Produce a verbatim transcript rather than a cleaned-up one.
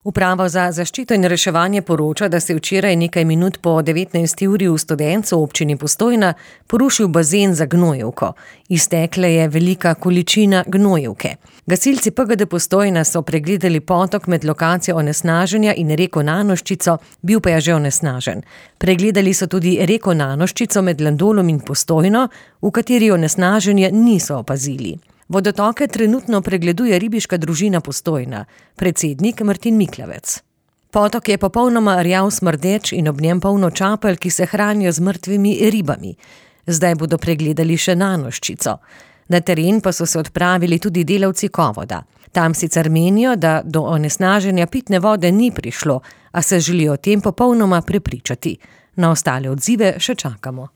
Uprava za zaščito in reševanje poroča, da se je včeraj nekaj minut po devetnajsti uri v Studencu v občini Postojna porušil bazen za gnojevko. Iztekla je velika količina gnojevke. Gasilci P G D Postojna so pregledali potok med lokacijo onesnaženja in reko Nanoščico, bil pa je že onesnažen. Pregledali so tudi reko Nanoščico med Landolom in Postojno, v kateri onesnaženje niso opazili. Vodotoke trenutno pregleduje ribiška družina Postojna, predsednik Martin Miklavec. Potok je popolnoma rjav smrdeč in ob njem polno čapelj, ki se hranijo z mrtvimi ribami. Zdaj bodo pregledali še Nanoščico. Na teren pa so se odpravili tudi delavci Kovoda. Tam sicer menijo, da do onesnaženja pitne vode ni prišlo, a se želijo o tem popolnoma prepričati. Na ostale odzive še čakamo.